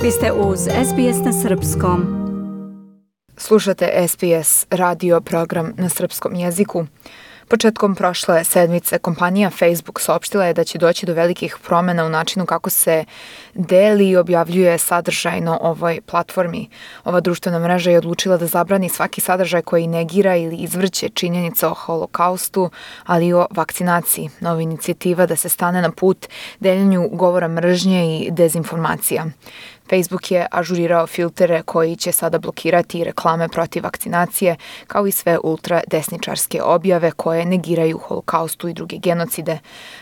Vi ste uz SBS na Srpskom. Slušate SBS radio program na srpskom jeziku. Početkom prošle sedmice kompanija Facebook saopštila je da će doći do velikih promjena u načinu kako se deli i objavljuje sadržaj na ovoj platformi. Ova društvena mreža je odlučila da zabrani svaki sadržaj koji negira ili izvrće činjenice o holokaustu, ali i o vakcinaciji. Nova inicijativa da se stane na put deljenju govora mržnje i dezinformacija. Facebook je ažurirao filtere koji će sada blokirati reklame protiv vakcinacije, kao i sve ultradesničarske objave koje negiraju holokaustu i druge genocide.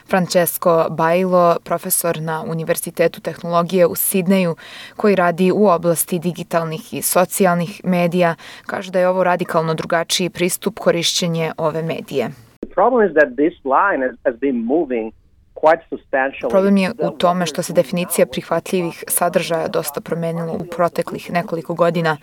Francesco Bailo, profesor na Univerzitetu tehnologije u Sidneju, koji radi u oblasti digitalnih i socijalnih medija, kaže da je ovo radikalno drugačiji pristup korišćenje ove medije. Problem je u tome što se definicija prihvatljivih sadržaja dosta promenila u proteklih nekoliko godina.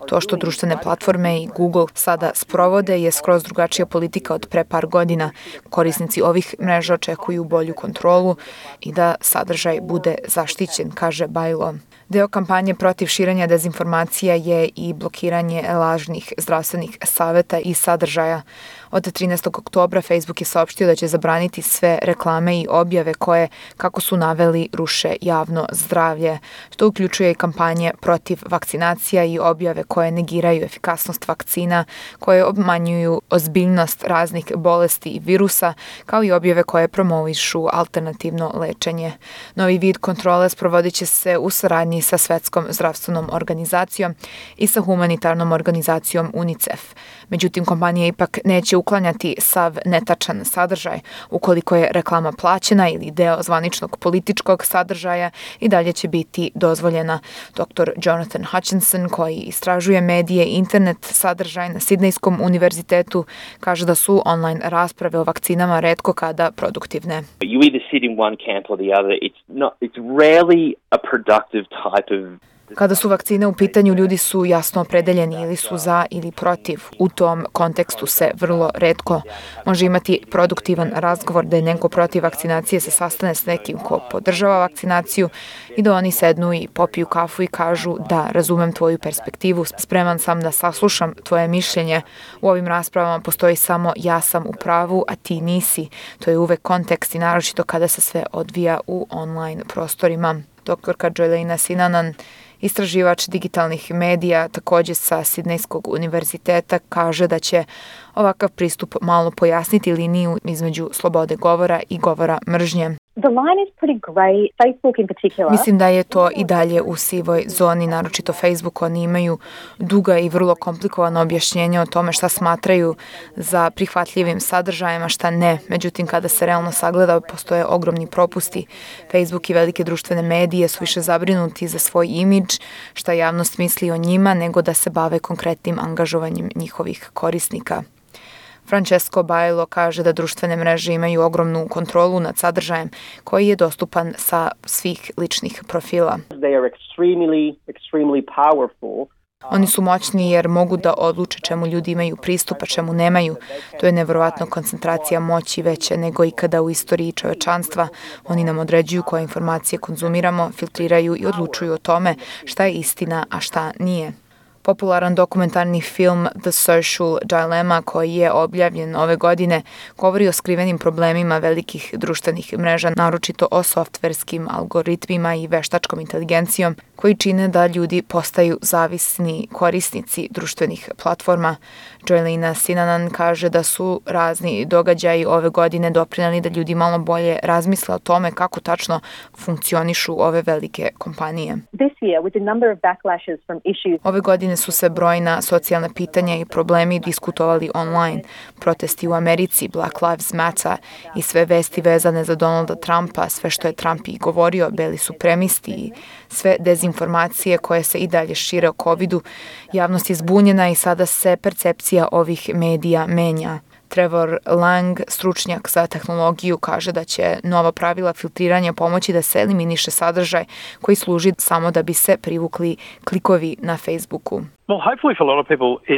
To što društvene platforme i Google sada sprovode je skroz drugačija politika od pre par godina. Korisnici ovih mreža očekuju bolju kontrolu i da sadržaj bude zaštićen, kaže Bailo. Deo kampanje protiv širenja dezinformacija je i blokiranje lažnih zdravstvenih saveta i sadržaja. Od 13. oktobra Facebook je saopštio da će zabraniti sve reklame i objave koje, kako su naveli, ruše javno zdravlje, što uključuje i kampanje protiv vakcinacija i objave koje negiraju efikasnost vakcina, koje obmanjuju ozbiljnost raznih bolesti i virusa, kao i objave koje promovišu alternativno lečenje. Novi vid kontrole sprovodit će se u saradnji sa Svetskom zdravstvenom organizacijom i sa humanitarnom organizacijom UNICEF. Međutim, kompanija ipak neće uklanjati sav netačan sadržaj. Ukoliko je reklama plaćena ili deo zvaničnog političkog sadržaja, i dalje će biti dozvoljena. Dr. Jonathan Hutchinson, koji istražuje medije i internet sadržaj na Sidnejskom univerzitetu, kaže da su online rasprave o vakcinama retko kada produktivne. You either sit in one camp or the other. It's rarely a productive type of. Kada su vakcine u pitanju, ljudi su jasno opredeljeni ili su za ili protiv. U tom kontekstu se vrlo retko može imati produktivan razgovor da je neko protiv vakcinacije se sastane s nekim ko podržava vakcinaciju i da oni sednu i popiju kafu i kažu da razumem tvoju perspektivu, spreman sam da saslušam tvoje mišljenje. U ovim raspravama postoji samo ja sam u pravu, a ti nisi. To je uvek kontekst i naročito kada se sve odvija u online prostorima. Doktorka Joelina Sinanan, istraživač digitalnih medija, također sa Sidnejskog univerziteta, kaže da će ovakav pristup malo pojasniti liniju između slobode govora i govora mržnje. Mislim da je to i dalje u sivoj zoni, naročito Facebook. Oni imaju duga i vrlo komplikovana objašnjenja o tome šta smatraju za prihvatljivim sadržajima, šta ne. Međutim, kada se realno sagleda, postoje ogromni propusti. Facebook i velike društvene medije su više zabrinuti za svoj imidž, šta javnost misli o njima, nego da se bave konkretnim angažovanjem njihovih korisnika. Francesco Bailo kaže da društvene mreže imaju ogromnu kontrolu nad sadržajem koji je dostupan sa svih ličnih profila. Oni su moćni jer mogu da odluče čemu ljudi imaju pristup, a čemu nemaju. To je nevjerovatno koncentracija moći veća nego ikada u istoriji čovečanstva. Oni nam određuju koje informacije konzumiramo, filtriraju i odlučuju o tome šta je istina, a šta nije. Popularan dokumentarni film The Social Dilemma, koji je objavljen ove godine, govori o skrivenim problemima velikih društvenih mreža, naročito o softverskim algoritmima i veštačkom inteligencijom, koji čine da ljudi postaju zavisni korisnici društvenih platforma. Joelina Sinanan kaže da su razni događaji ove godine doprineli da ljudi malo bolje razmisle o tome kako tačno funkcionišu ove velike kompanije. Ove godine su se brojna socijalna pitanja i problemi diskutovali online. Protesti u Americi, Black Lives Matter i sve vesti vezane za Donalda Trumpa, sve što je Trump i govorio, beli supremisti i sve dezinformacije koje se i dalje šire o covidu. Javnost je zbunjena i sada se percepcija ovih medija menja. Trevor Lang, stručnjak za tehnologiju, kaže da će nova pravila filtriranja pomoći da se eliminiše sadržaj koji služi samo da bi se privukli klikovi na Facebooku. Well, hopefully for a lot of people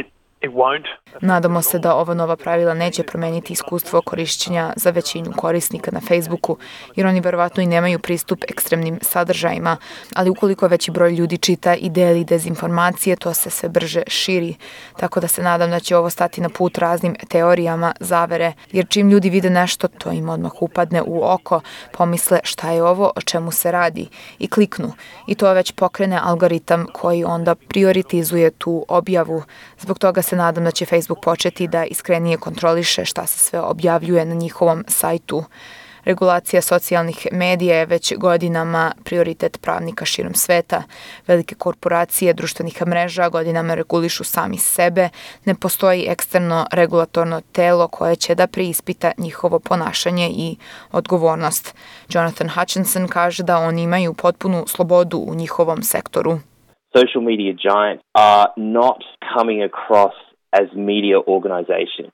Nadamo se da ova nova pravila neće promeniti iskustvo korišćenja za većinu korisnika na Facebooku, jer oni verovatno i nemaju pristup ekstremnim sadržajima, ali ukoliko veći broj ljudi čita i deli dezinformacije, to se sve brže širi. Tako da se nadam da će ovo stati na put raznim teorijama zavere, jer čim ljudi vide nešto, to im odmah upadne u oko, pomisle šta je ovo, o čemu se radi i kliknu. I to već pokrene algoritam koji onda prioritizuje tu objavu. Zbog toga se nadam da će Facebook početi da iskrenije kontroliše šta se sve objavljuje na njihovom sajtu. Regulacija socijalnih medija je već godinama prioritet pravnika širom sveta. Velike korporacije društvenih mreža godinama regulišu sami sebe. Ne postoji eksterno regulatorno telo koje će da preispita njihovo ponašanje i odgovornost. Jonathan Hutchinson kaže da oni imaju potpunu slobodu u njihovom sektoru. Social media giants are not coming across as media organizations.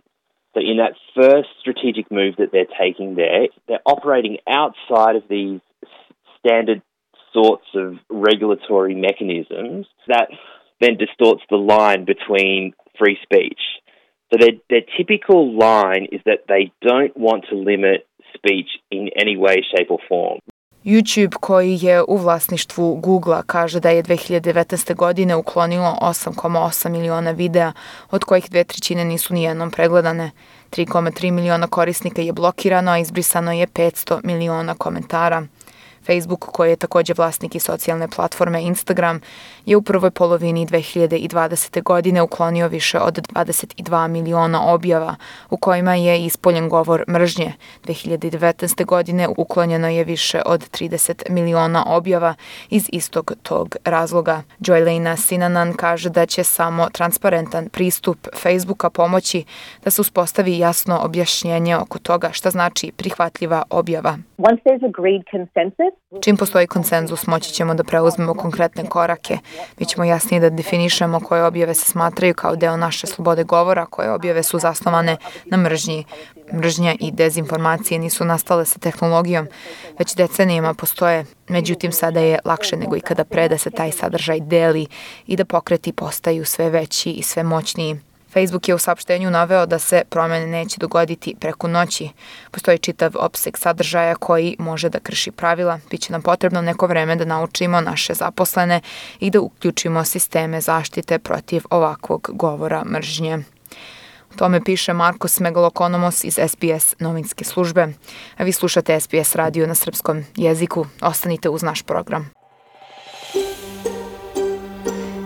So in that first strategic move that they're taking there, they're operating outside of these standard sorts of regulatory mechanisms that then distorts the line between free speech. So their typical line is that they don't want to limit speech in any way, shape or form. YouTube, koji je u vlasništvu Googlea, kaže da je 2019. godine uklonilo 8,8 miliona videa, od kojih 2/3 nisu nijednom pregledane. 3,3 miliona korisnika je blokirano, a izbrisano je 500 miliona komentara. Facebook, koji je takođe vlasnik i socijalne platforme Instagram, je u prvoj polovini 2020. godine uklonio više od 22 miliona objava u kojima je ispoljen govor mržnje. 2019. godine uklonjeno je više od 30 miliona objava iz istog tog razloga. Joylena Sinanan kaže da će samo transparentan pristup Facebooka pomoći da se uspostavi jasno objašnjenje oko toga šta znači prihvatljiva objava. Once there's agreed consensus, čim postoji konsenzus, moći ćemo da preuzmemo konkretne korake. Mi ćemo jasnije da definišemo koje objave se smatraju kao deo naše slobode govora, koje objave su zasnovane na mržnji. Mržnja i dezinformacije nisu nastale sa tehnologijom, već decenijama postoje. Međutim, sada je lakše nego ikada pre da se taj sadržaj deli i da pokreti postaju sve veći i sve moćniji. Facebook je u saopštenju naveo da se promene neće dogoditi preko noći. Postoji čitav opseg sadržaja koji može da krši pravila. Biće nam potrebno neko vreme da naučimo naše zaposlene i da uključimo sisteme zaštite protiv ovakvog govora mržnje. O tome piše Markos Megalokonomos iz SBS novinske službe. A vi slušate SBS radio na srpskom jeziku. Ostanite uz naš program.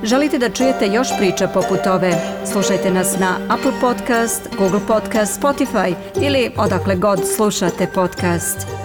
Želite da čujete još priča poput ove? Slušajte nas na Apple Podcast, Google Podcast, Spotify ili odakle god slušate podcast.